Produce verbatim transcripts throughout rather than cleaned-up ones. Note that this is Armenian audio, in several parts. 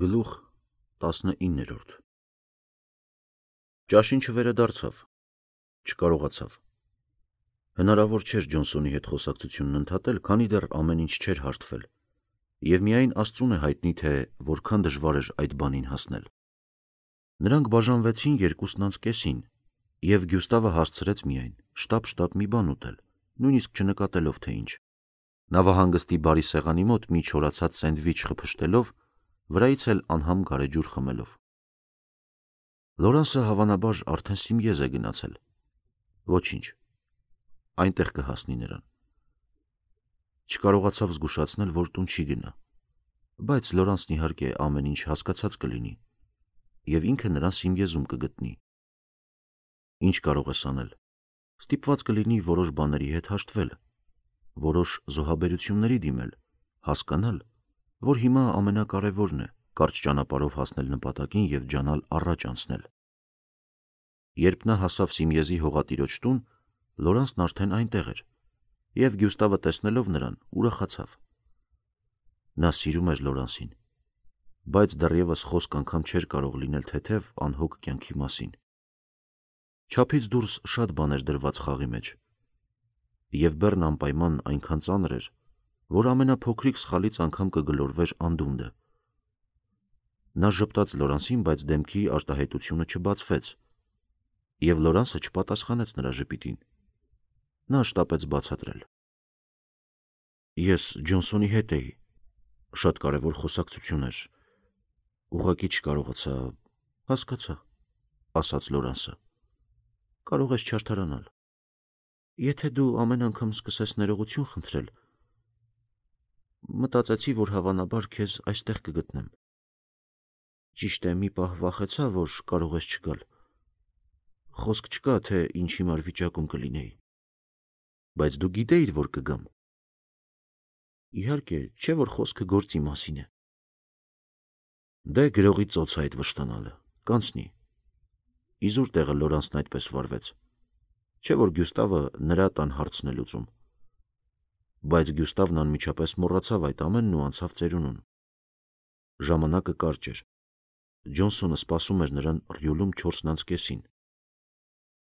Գլուխ տասնիններորդ Ճաշին չվերադարձավ, չկարողացավ։ Հնարավոր չէր Ջոնսոնի հետ խոսակցությունն ընդհատել, քանի դեռ ամեն ինչ չէր հարթվել, և միայն Աստծուն է հայտնի, թե որքան դժվար էր այդ բանին հասնել։ Նրանք բաժանվեցին երկուսն անց կեսին, և Գյուստավը հասցրեց միայն շտապ-շտապ մի բան ուտել, նույնիսկ չնկատելով թե ինչ։ Նավահանգստի բարի սեղանի մոտ մի չորացած սենդվիչ խփշտելով, վրայից էլ անհամ գարեջուր խմելով։ Լորանսը հավանաբար արդեն Սիմիեզ է գնացել։ Ոչինչ, այնտեղ կհասնի նրան։ Չկարողացավ զգուշացնել, որ տուն չի գնա, բայց Լորանսն իհարկե ամեն ինչ հասկացած կլինի, և ինքը նրան Սիմիեզում կգտնի։ Ինչ կարող ես անել։ Ստիպված կլինի որոշ բաների հետ հաշտվել, որոշ զոհաբերությունների դիմել, հասկանալ, որ հիմա ամենակարևորն է կարճ ճանապարհով հասնել նպատակին և ջանալ առաջ անցնել։ Երբ նա հասավ Սիմիեզի հողատիրոջ տուն, Լորանսն արդեն այնտեղ էր, և Գյուստավը տեսնելով նրան ուրախացավ։ Նա սիրում էր Լորանսին, բայց դեռևս խոսք անգամ չէր կարող լինել թեթև, անհոգ կյանքի մասին։ Չափից դուրս շատ բան էր դրված խաղի մեջ, և բեռն անպայման այնքան ծանր էր, որ ամենափոքրիկ սխալից անգամ կգլորվեր անդունդը։ Նա ժպտաց Լորանսին, բայց դեմքի արտահայտությունը չբացվեց, և Լորանսը չպատասխանեց նրա ժպիտին։ Նա շտապեց բացատրել. Ես Ջոնսոնի հետ էի, շատ կարևոր խոսակցություն էր, ուղղակի չկարողացա, հասկացա, ասաց Լորանսը, կարող ես չարդարանալ։ Եթե դու ամեն անգամ սկսես ներողություն խնդրել, մտածեցի, որ հավանաբար քեզ այստեղ կգտնեմ։ Ճիշտ է, մի պահ վախեցա, որ կարող ես չգալ։ Խոսք չկա, թե ինչ հիմար վիճակում կլինեի։ Բայց դու գիտեիր, որ կգամ։ Իհարկե, չէ որ խոսքը գործի մասին է։ Դե գրողի ծոց է այդ վշտանալը, կանցնի։ Իզուր տեղը Լորանսն այդպես վարվեց, չէ որ Գյուստավը նրա տան հարցն է լուծում։ Բայց Գյուստավն անմիջապես մոռացավ այդ ամենն ու անցավ ծերունուն։ Ժամանակը կարճ էր։ Ջոնսոնը սպասում էր նրան Ռյուլում չորսն անց կեսին։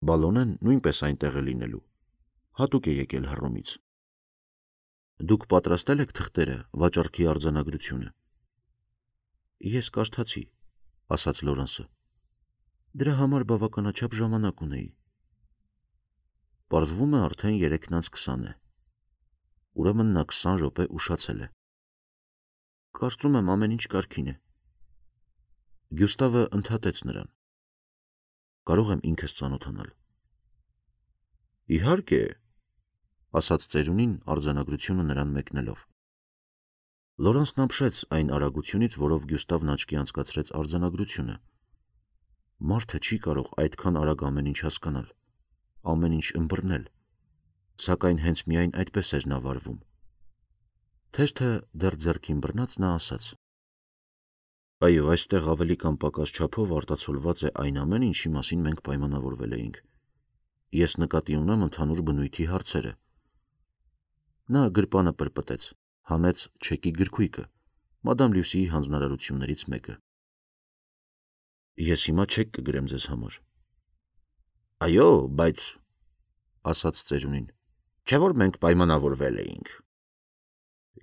Բալոնեն նույնպես այնտեղ է լինելու, հատուկ է եկել Հռոմից։ Դուք պատրաստել եք թղթերը, վաճառքի արձանագրությունը։ Ես կարդացի, ասաց Լորանսը։ Դրա համար բավականաչափ ժամանակ ունեի։ Պարզվում է արդեն երեքն անց քսան է։ Ուրեմն նա քսան րոպե ուշացել է։ Կարծում եմ ամեն ինչ կարգին է։ Գյուստավը ընդհատեց նրան։ Կարող եմ ինքս ծանոթանալ։ Իհարկե, ասաց ծերունին արձանագրությունը նրան մեկնելով։ Լորանսն ապշեց այն արագությունից, որով Գյուստավն աչքի անցկացրեց արձանագրությունը։ Մարդը չի կարող այդքան արագ ամեն ինչ հասկանալ, ամեն ինչ ըմբռնել, սակայն հենց միայն այդպես էր նա վարվում։ Թեթը դեռ ձեռքին բռնած նա ասաց. Այո, այստեղ ավելի կամ պակաս չափով արտացոլված է այն ամեն, ինչի մասին մենք պայմանավորվել էինք։ Ես նկատի ունեմ ընդհանուր բնույթի հարցերը։ Նա գրպանը պրպտեց, հանեց չեկի գրքույկը, մադամ Լյուսիի հանձնարարություններից մեկը։ Ես հիմա չեք կգրեմ ձեզ համար։ Այո, բայց, ասաց ծերունին, չէ որ մենք պայմանավորվել էինք։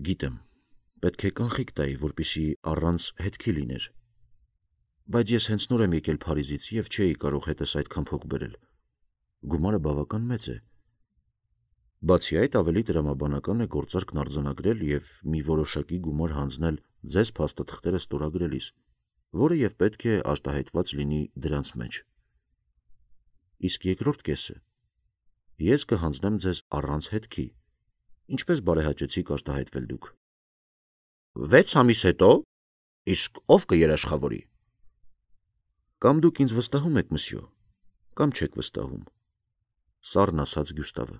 Գիտեմ, պետք է կանխիկ տայի, որպեսզի առանց հետքի լիներ։ Բայց ես հենց նոր եմ եկել Փարիզից և չէի կարող հետս այդքան փող բերել։ Գումարը բավական մեծ է։ Բացի այդ, ավելի տրամաբանական է գործարքն արձանագրել և մի որոշակի գումար հանձնել ձեզ փաստաթղթերը ստորագրելիս, որը և պետք է արտահայտված լինի դրանց մեջ։ Իսկ երկրորդ կեսը ես կհանձնեմ ձեզ առանց հետքի, ինչպես բարեհաճեցիք արտահայտվել դուք։ Վեց ամիս հետո, իսկ ով կերաշխավորի։ Կամ դուք ինձ վստահում եք, մսյո, կամ չեք վստահում, սառն ասաց Գյուստավը։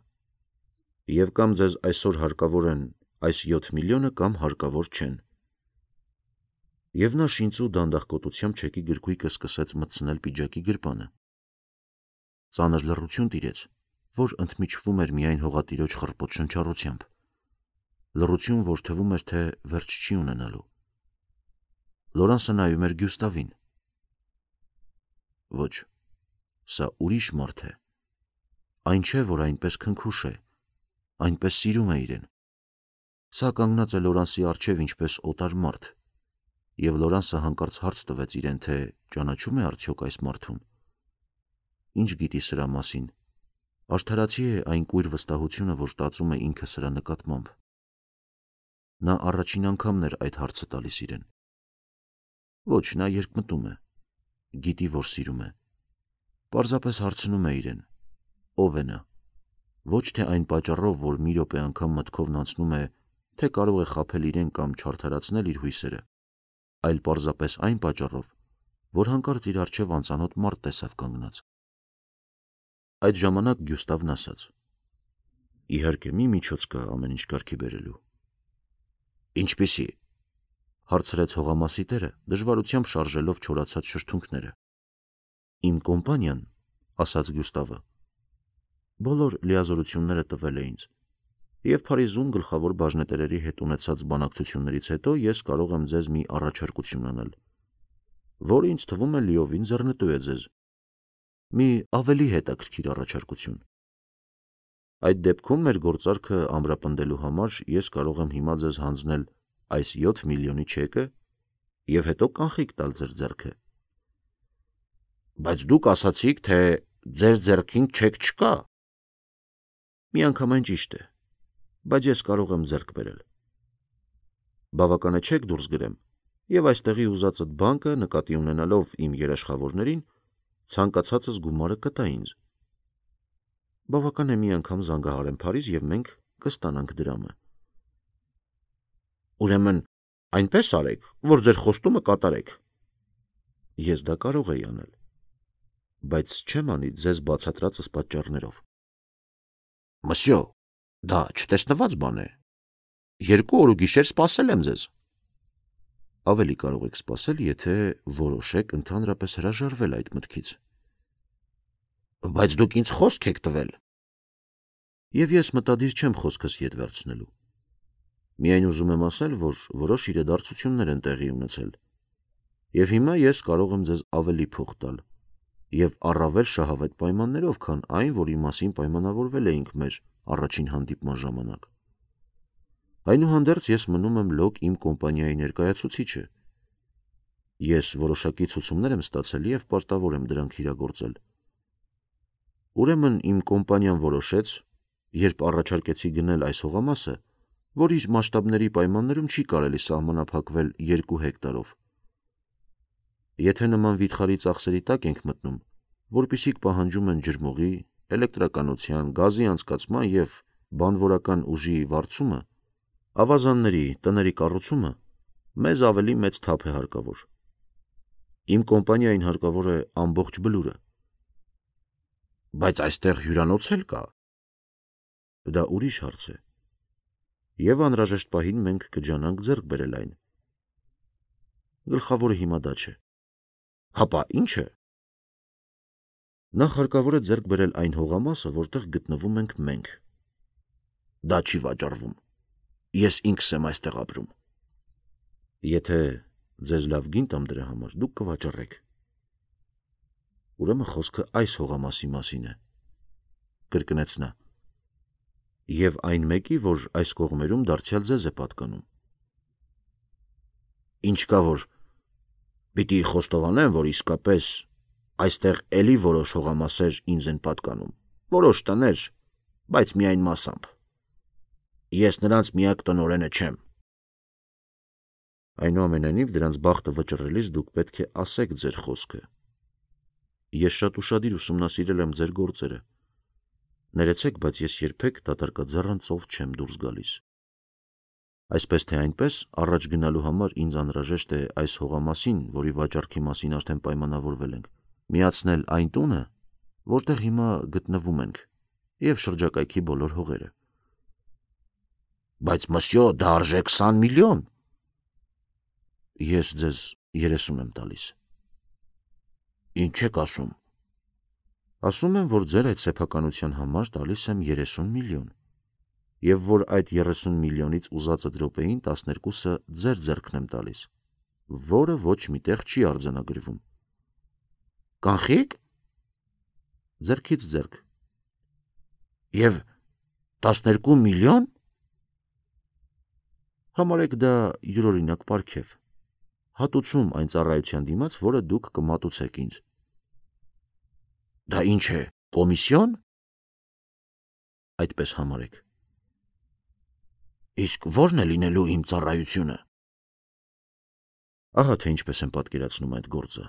Եվ կամ ձեզ այսօր հարկավոր են այս յոթ միլիոնը, կամ հարկավոր չեն։ Եվ նա շինծու դանդաղկոտությամբ չեկի գրքույկը սկսեց մտցնել պիջակի գրպանը։ Ծանր լռություն տիրեց, որ ընդմիջվում էր միայն հողատիրոջ խռպոտ շնչառությամբ։ Լռություն, որ թվում էր, թե վերջ չի ունենալու։ Լորանսը նայում էր Գյուստավին։ Ոչ, սա ուրիշ մարդ է։ Այն չէ, որ այնպես քնքուշ է, այնպես սիրում է իրեն։ Սա կանգնած է Լորանսի առջև ինչպես օտար մարդ, և Լորանսը հանկարծ հարց տվեց իրեն, թե ճանաչում է արդյոք այս մարդուն։ Ինչ գիտի սրա մասին, արդարացի է այն կույր վստահությունը, որ ստացում է ինքը սրա նկատմամբ։ Նա առաջին անգամն էր այդ հարցը տալիս իրեն։ Ոչ, նա երկմտում է, գիտի, որ սիրում է։ Պարզապես հարցնում է իրեն, ով է նա։ Ոչ թե այն պատճառով, որ մի րոպե անգամ մտքովն անցնում է, թե կարող է խաբել իրեն կամ չարդարացնել իր հույսերը, այլ պարզապես այն պատճառով, որ հանկարծ իր առջև անծանոթ մարդ տեսավ կանգնած։ Այդ ժամանակ Գյուստավն ասաց. Իհարկե, մի միջոց կա ամեն ինչ կարգի բերելու։ Ինչպիսի՞։ Հարցրեց հողամասի տերը, դժվարությամբ շարժելով չորացած շրթունքները։ Իմ կոմպանիան, ասաց Գյուստավը, բոլոր լիազորությունները տվել է ինձ, և Փարիզում գլխավոր բաժնետերերի հետ ունեցած բանակցություններից հետո ես կարող եմ ձեզ մի առաջարկություն անել, որը ինձ թվում է լիովին ձեռնտու է ձեզ։ Մի ավելի հետաքրքիր առաջարկություն։ Այդ դեպքում մեր գործարքը ամրապնդելու համար ես կարող եմ հիմա ձեզ հանձնել այս յոթ միլիոնի չեկը և հետո կանխիկ տալ ձեր ձեռքը։ Բայց դուք ասացիք, թե ձեր ձեռքին չեք չկա։ Միանգամայն ճիշտ է, բայց ես կարող եմ ձեռք բերել։ Բավական է չեք դուրս գրեմ, և այստեղի ուզածդ բանկը, նկատի ունենալով իմ երաշխավորներին, ցանկացածս գումարը կտա ինձ։ Բավական է մի անգամ զանգահարեմ Փարիզ, և մենք կստանանք դրամը։ Ուրեմն այնպես արեք, որ ձեր խոստումը կատարեք։ Ես դա կարող էի անել, բայց չեմ անի ձեզ բացատրածս պատճառներով։ Մսյո, դա չտեսնված բան է։ Երկու օր ու գիշեր սպասել եմ ձեզ։ Ավելի կարող եք սպասել, եթե որոշեք ընդհանրապես հրաժարվել այդ մտքից։ Բայց դուք ինձ խոսք եք տվել։ Եվ ես մտադիր չեմ խոսքս ետ վերցնելու։ Միայն ուզում եմ ասել, որ որոշ իրադարձություններ են տեղի ունեցել, և հիմա ես կարող եմ ձեզ ավելի փող տալ, և առավել շահավետ պայմաններով, քան այն, որի մասին պայմանավորվել էինք մեր առաջին հանդիպման ժամանակ։ Այնուհանդերձ ես մնում եմ լոկ իմ կոմպանիայի ներկայացուցիչը։ Ես որոշակի ցուցումներ եմ ստացել և պարտավոր եմ դրանք իրագործել։ Ուրեմն իմ կոմպանիան որոշեց, երբ առաջարկեցի գնել այս հողամասը, որ իր մասշտաբների պայմաններում չի կարելի սահմանափակվել երկու հեկտարով։ Եթե նման վիթխարի ծախսերի տակ ենք մտնում, որպիսիք պահանջում են ջրմուղի, էլեկտրականության, գազի անցկացման և բանվորական ուժի վարձումը, ավազանների, տների կառուցումը, մեզ ավելի մեծ թափ է հարկավոր։ Իմ կոմպանիային հարկավոր է ամբողջ բլուրը։ Բայց այստեղ հյուրանոց էլ կա։ Դա ուրիշ հարց է։ Եվ անհրաժեշտ պահին մենք կջանանք ձեռք բերել այն։ Գլխավորը հիմա դա չէ։ Հապա ի՞նչ է։ Նախ հարկավոր է ձեռք բերել այն հողամասը, որտեղ գտնվում ենք մենք։ Դա չի վաճառվում։ Ես ինքս եմ այստեղ ապրում։ Եթե ձեզ լավ գին տամ դրա համար, դուք կվաճառեք։ Ուրեմն խոսքը այս հողամասի մասին է, կրկնեց նա, և այն մեկի, որ այս կողմերում դարձյալ ձեզ է պատկանում։ Ինչ կա, որ պիտի խոստովանեմ, որ իսկապես այստեղ էլի որոշ հողամասեր ինձ են պատկանում, որոշ տներ, բայց միայն մասամբ։ Ես նրանց միակ տնօրենը չեմ։ Այնուամենայնիվ, դրանց բախտը վճռելիս դուք պետք է ասեք ձեր խոսքը։ Ես շատ ուշադիր ուսումնասիրել եմ ձեր գործերը։ Ներեցեք, բայց ես երբեք դատարկաձեռն ծով չեմ դուրս գալիս։ Այսպես թե այնպես, առաջ գնալու համար ինձ անհրաժեշտ է այս հողամասին, որի վաճառքի մասին արդեն պայմանավորվել ենք, միացնել այն տունը, որտեղ հիմա գտնվում ենք, և շրջակայքի բոլոր հողերը։ Բայց մսյո, դա արժե քսան միլիոն։ Ես ձեզ երեսուն եմ տալիս։ Ինչ եք ասում։ Ասում եմ, որ ձեր այդ սեփականության համար տալիս եմ երեսուն միլիոն, և որ այդ երեսուն միլիոնից ուզածդ րոպեին տասներկուսը ձեր ձեռքն եմ տալիս, որը ոչ միտեղ չի արձանագրվում։ Կանխիկ։ Ձեռքից ձեռք։ Եվ տասներկու միլիոն։ Համարեք դա յուրօրինակ պարգև։ Հատուցում այն ծառայության դիմաց, որը դուք կմատուցեք ինձ։ Դա ինչ է, կոմիսիոն։ Այդպես համարեք։ Իսկ ո՞րն է լինելու իմ ծառայությունը։ Ահա թե ինչպես եմ պատկերացնում այդ գործը,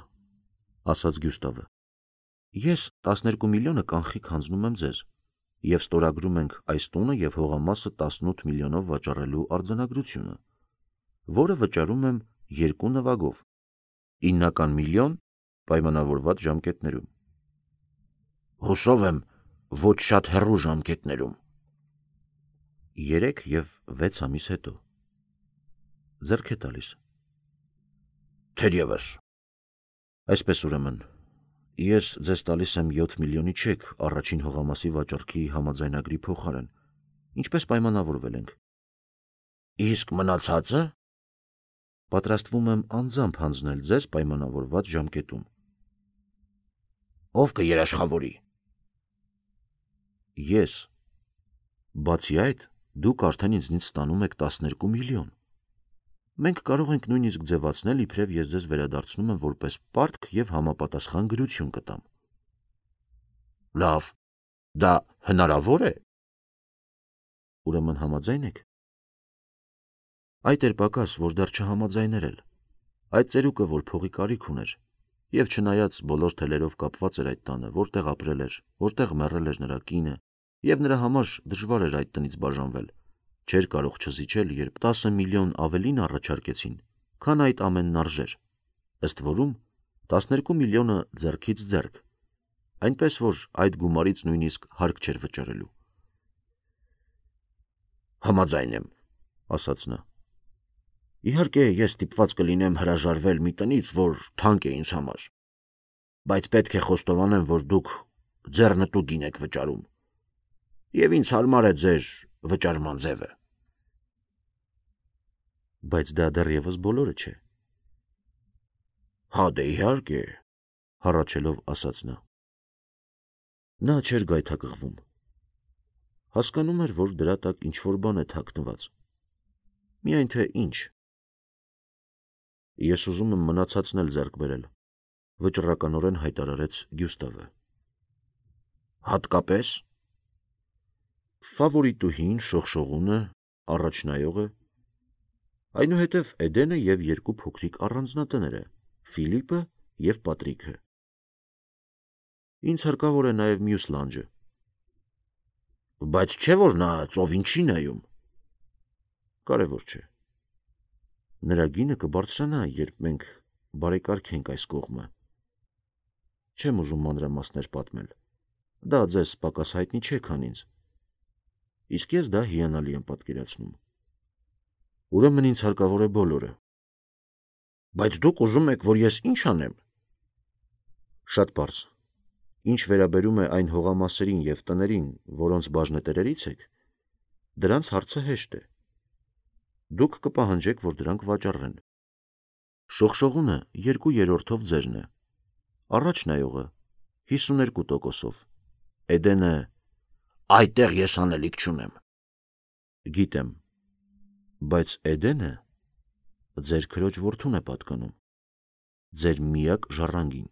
ասաց Գյուստավը։ Ես տասներկու միլիոնը կանխիկ հանձնում եմ ձեզ, և ստորագրում ենք այս տունը և հողամասը տասնութ միլիոնով վաճառելու արձանագրությունը, որը վճարում եմ երկու նվագով, իննական միլիոն պայմանավորված ժամկետներում։ Հուսով եմ, ոչ շատ հեռու ժամկետներում։ Երեք և վեց ամիս հետո։ Ձեռք է տալիս։ Թերևս։ Այսպես ուրեմն, ես ձեզ տալիս եմ յոթ միլիոնի չեք առաջին հողամասի վաճառքի համաձայնագրի փոխարեն, ինչպես պայմանավորվել ենք։ Իսկ մնացածը։ Պատրաստվում եմ անձամբ հանձնել ձեզ պայմանավորված ժամկետում։ Ով կերաշխավորի։ Ես։ Բացի այդ, դուք արդեն ինձնից ստանում եք տասներկու միլիոն։ Մենք կարող ենք նույնիսկ ձևացնել, իբրև ես ձեզ վերադարձնում եմ որպես պարտք և համապատասխան գրություն կտամ։ Լավ, դա հնարավոր է։ Ուրեմն համաձայն եք։ Այդ էր պակաս, որ դեռ չհամաձայներ էլ։ Այդ ծերուկը, որ փողի կարիք ուներ, և չնայած բոլոր թելերով կապված էր այդ տանը, որտեղ ապրել էր, որտեղ մեռել էր նրա կինը, և նրա համար դժվար էր այդ տնից բաժանվել, չէր կարող չզիջել, երբ տասը միլիոն ավելին առաջարկեցին, քան այդ ամենն արժեր, ըստ որում տասներկու միլիոնը ձեռքից ձեռք, այնպես որ այդ գումարից նույնիսկ հարկ չէր վճարելու։ Համաձայն եմ, ասաց նա։ Իհարկե, ես ստիպված կլինեմ հրաժարվել մի տնից, որ թանկ է ինձ համար, բայց պետք է խոստովանեմ, որ դուք ձեռնտու գին եք վճարում, և ինձ հարմար է ձեր վճարման ձևը։ Բայց դա դեռևս բոլորը չէ։ Հա դե իհարկե, հառաչելով ասաց նա։ Նա չէր գայթակղվում։ Հասկանում էր, որ դրա տակ ինչ-որ բան է թաքնված։ Միայն թե ինչ։ Ես ուզում եմ մնացածն էլ ձեռք բերել, վճռականորեն հայտարարեց Գյուստավը։ Հատկապես։ Ֆավորիտուհին, շողշողունը, առաջնայողը, այնուհետև Էդենը և երկու փոքրիկ առանձնատները՝ Ֆիլիպը և Պատրիքը։ Ինձ հարկավոր է նաև մյուս լանջը։ Բայց չէ՞ որ նա ծովին չի նայում։ Կարևոր չէ։ Նրա գինը կբարձրանա, երբ մենք բարեկարգենք այս կողմը։ Չեմ ուզում մանրամասներ պատմել։ Դա ձեզ պակաս հայտնի չէ, քան ինձ։ Իսկ ես դա հիանալի եմ պատկերացնում։ Ուրեմն ինձ հարկավոր է բոլորը։ Բայց դուք ուզում եք, որ ես ինչ անեմ։ Շատ պարզ։ Ինչ վերաբերում է այն հողամասերին և տներին, որոնց բաժնետերերից եք, դրանց հարցը հեշտ է։ Դուք կպահանջեք, որ դրանք վաճառեն։ Շողշողունը երկու երրորդով ձերն է, առաջնայողը հիսուներկու տոկոսով, Էդենը այդտեղ ես անելիք չունեմ։ Գիտեմ, բայց Էդենը ձեր քրոջ որդուն է պատկանում, ձեր միակ ժառանգին։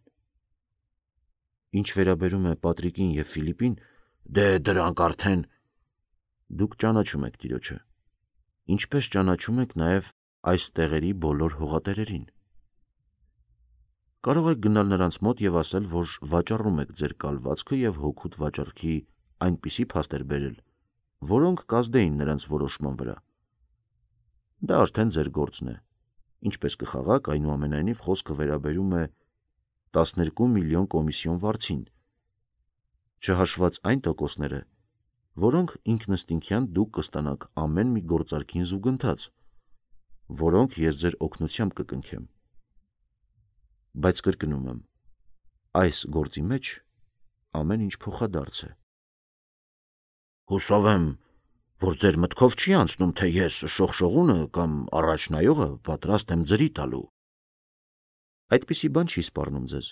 Ինչ վերաբերում է Պատրիկին և Ֆիլիպին, դե դրանք արդեն։ Դուք ճանաչում եք տիրոջը, ինչպես ճանաչում եք նաև այս տեղերի բոլոր հողատերերին։ Կարող եք գնալ նրանց մոտ և ասել, որ վաճառում եք ձեր կալվածքը և հօգուտ վաճառքի այնպիսի փաստեր բերել, որոնք կազդեին նրանց որոշման վրա։ Դա արդեն ձեր գործն է, ինչպես կխաղաք, այնուամենայնիվ խոսքը վերաբերում է տասներկու միլիոն կոմիսիոն վարձին, չհաշված այն տոկոսները, որոնք ինքնըստինքյան դուք կստանաք ամեն մի գործարքին զուգընթաց, որոնք ես ձեր օգնությամբ կկնքեմ։ Բայց կրկնում եմ, այս գործի մեջ ամեն ինչ փոխադարձ է։ Հուսով եմ, որ ձեր մտքով չի անցնում, թե ես շողշողունը կամ առաջնայողը պատրաստ եմ ձրի տալու։ Այդպիսի բան չի սպառնում ձեզ։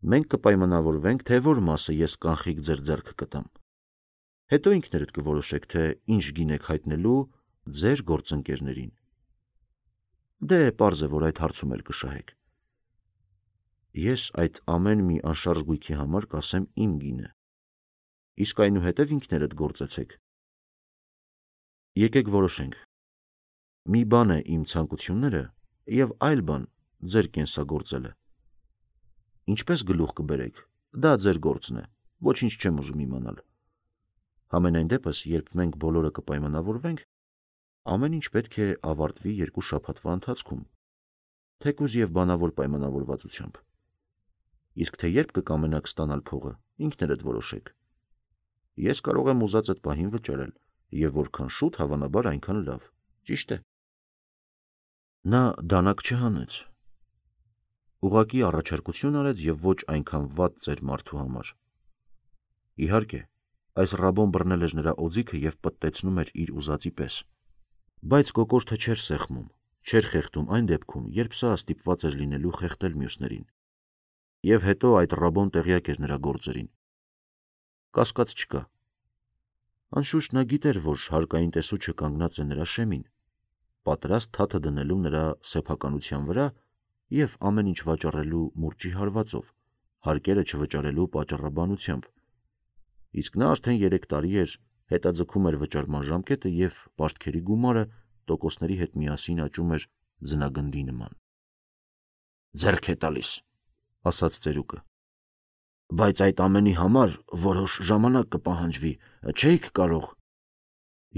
Մենք կպայմանավորվենք, թե որ մասը ես կանխիկ ձեր ձեռքը կտամ։ Հետո ինքներդ կորոշեք, թե ինչ գին եք հայտնելու ձեր գործընկերներին։ Դե պարզ է, որ այդ հարցում էլ կշահեք։ Ես այդ ամեն մի անշարժ գույքի համար կասեմ իմ գինը։ Իսկ այնուհետև ինքներդ գործեցեք։ Եկեք որոշենք։ Մի բան է իմ ցանկությունները և այլ բան ձեր կենսագործելը։ Ինչպես գլուխ կբերեք, դա ձեր գործն է, ոչինչ չեմ ուզում իմանալ։ Համենայն դեպս, երբ մենք բոլորը կպայմանավորվենք, ամեն ինչ պետք է ավարտվի երկու շաբաթվա ընթացքում, թեկուզ և բանավոր պայմանավորվածությամբ։ Իսկ թե երբ կկամենաք ստանալ փողը, ինքներդ որոշեք։ Ես կարող եմ ուզած այդ պահին վճարել, և որքան շուտ, հավանաբար այնքան լավ, ճիշտ է։ Նա դանակ չհանեց։ Ուղղակի առաջարկություն արեց և ոչ այնքան վատ ծեր մարդու համար։ Իհարկե, այս ռաբոն բռնել էր նրա օձիքը և պտտեցնում էր իր ուզածի պես։ Բայց կոկորդը չէր սեղմում, չէր խեղդում այն դեպքում, երբ սա ստիպված էր լինելու խեղդել մյուսներին։ Եվ հետո այդ ռաբոն տեղյակ էր նրա գործերին։ Կասկած չկա։ Անշուշտ նա գիտեր, որ հարկային տեսուչը կանգնած է նրա շեմին, պատրաստ թաթը դնելու նրա սեփականության վրա և ամեն ինչ վաճառելու մուրճի հարվածով, հարկերը չվճարելու պատճառաբանությամբ։ Իսկ նա արդեն երեք տարի էր հետաձգում էր վճարման ժամկետը և պարտքերի գումարը տոկոսների հետ միասին աճում էր ձնագնդի նման։ Ձեռք է տալիս, ասաց ծերուկը։ Բայց այդ ամենի համար որոշ ժամանակ կպահանջվի, չէիք կարող։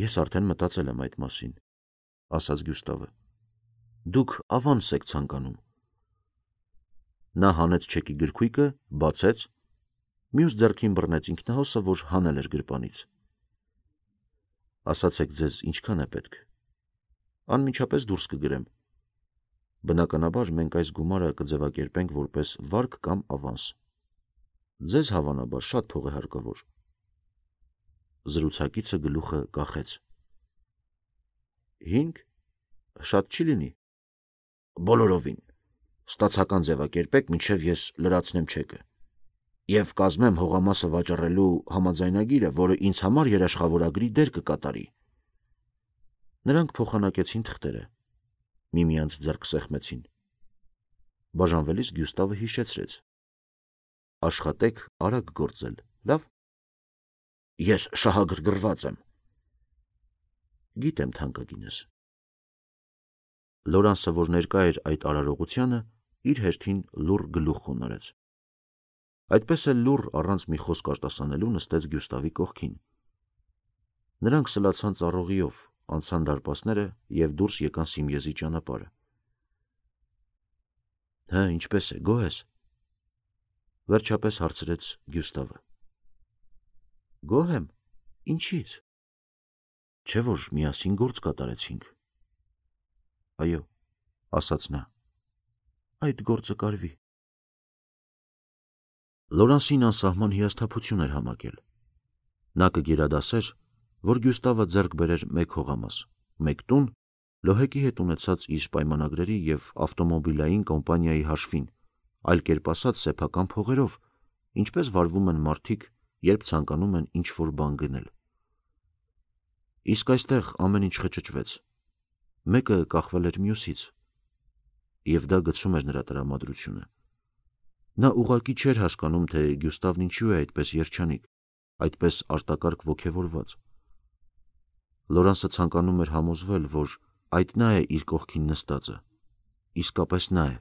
Ես արդեն մտածել եմ այդ մասին, ասաց Գյուստավը։ Դուք ավանս եք ցանկանում։ Նա հանեց չեկի գրքույկը, բացեց, մյուս ձեռքին բռնեց ինքնահոսը, որ հանել էր գրպանից։ Ասացեք ձեզ ինչքան է պետք։ Անմիջապես դուրս կգրեմ։ Բնականաբար մենք այս գումարը կձևակերպենք որպես վարկ կամ ավանս։ Ձեզ հավանաբար շատ փող է հարկավոր։ Զրուցակիցը գլուխը կախեց։ Հինգ, շատ չի լինի։ Բոլորովին։ Ստացական ձևակերպեք, մինչև ես լրացնեմ չեկը։ Եվ կազմեմ հողամասը վաճառելու համաձայնագիրը, որը ինձ համար երաշխավորագրի դեր կկատարի։ Նրանք փոխանակեցին թղթերը, միմյանց ձեռք սեղմեցին։ Բաժանվելիս Գյուստավը հիշեցրեց. Աշխատեք արագ գործել, լավ։ Ես շահագրգռված եմ։ Գիտեմ թանկագինս։ Լորանսը, որ ներկա էր այդ արարողությանը, իր հերթին լուռ գլուխ խոնարհեց։ Այդպես էլ լուռ առանց մի խոսք արտասանելու նստեց Գյուստավի կողքին։ Նրանք սլացան ծառողիով, անցան դարպասները և դուրս եկան Սիմիեզի ճանապարհը։ Հը, ինչպես է, գոհ ես։ Վերջապես հարցրեց Գյուստավը։ Գոհ եմ, ինչի՞ց։ Չէ՞ որ միասին գործ կատարեցինք։ Այո, ասաց նա։ Այդ գործը կարվի։ Լորանսին անսահման հիասթափություն էր համակել։ Նա կգերադասեր, որ Գյուստավը ձեռք բերեր մեկ հողամաս, մեկ տուն, Լոհեկի հետ ունեցած իր պայմանագրերի և ավտոմոբիլային կոմպանիայի հաշվին, այլ կերպ ասած սեփական փողերով, ինչպես վարվում են մարդիկ, երբ ցանկանում են ինչ-որ բան գնել։ Իսկ այստեղ ամեն ինչ խճճվեց։ Մեկը կախվել էր մյուսից, և դա գցում էր նրա տրամադրությունը։ Նա ուղղակի չէր հասկանում, թե Գյուստավն ինչու է այդպես երջանիկ, այդպես արտակարգ ոգևորված։ Լորանսը ցանկանում էր համոզվել, որ այդ նա է իր կողքին նստածը, իսկապես նա է։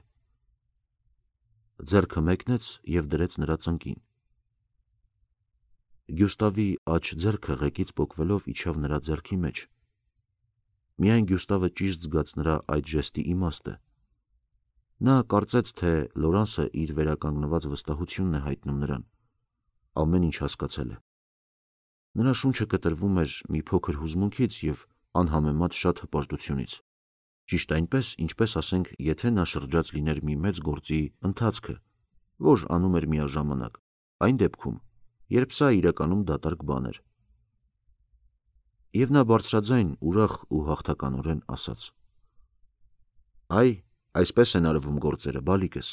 Ձեռքը մեկնեց և դրեց նրա ծնկին։ Գյուստավի աջ ձեռքը ղեկից պոկվելով իջավ նրա ձեռքի մեջ։ Միայն Գյուստավը ճիշտ զգաց նրա այդ ժեստի իմաստը։ Նա կարծեց, թե Լորանսը իր վերականգնված վստահությունն է հայտնում նրան։ Ամեն ինչ հասկացել է։ Նրա շունչը կտրվում էր մի փոքր հուզմունքից և անհամեմատ շատ հպարտությունից։ Ճիշտ այնպես, ինչպես ասենք, եթե նա շրջած լիներ մի մեծ գործի ընթացքը, որ անում էր միաժամանակ, այն դեպքում, երբ սա իրականում դատարկ բան էր։ Եվ նա բարձրաձայն, ուրախ ու հաղթականորեն ասաց. Այ, Այսպես են արվում գործերը, բալիկս։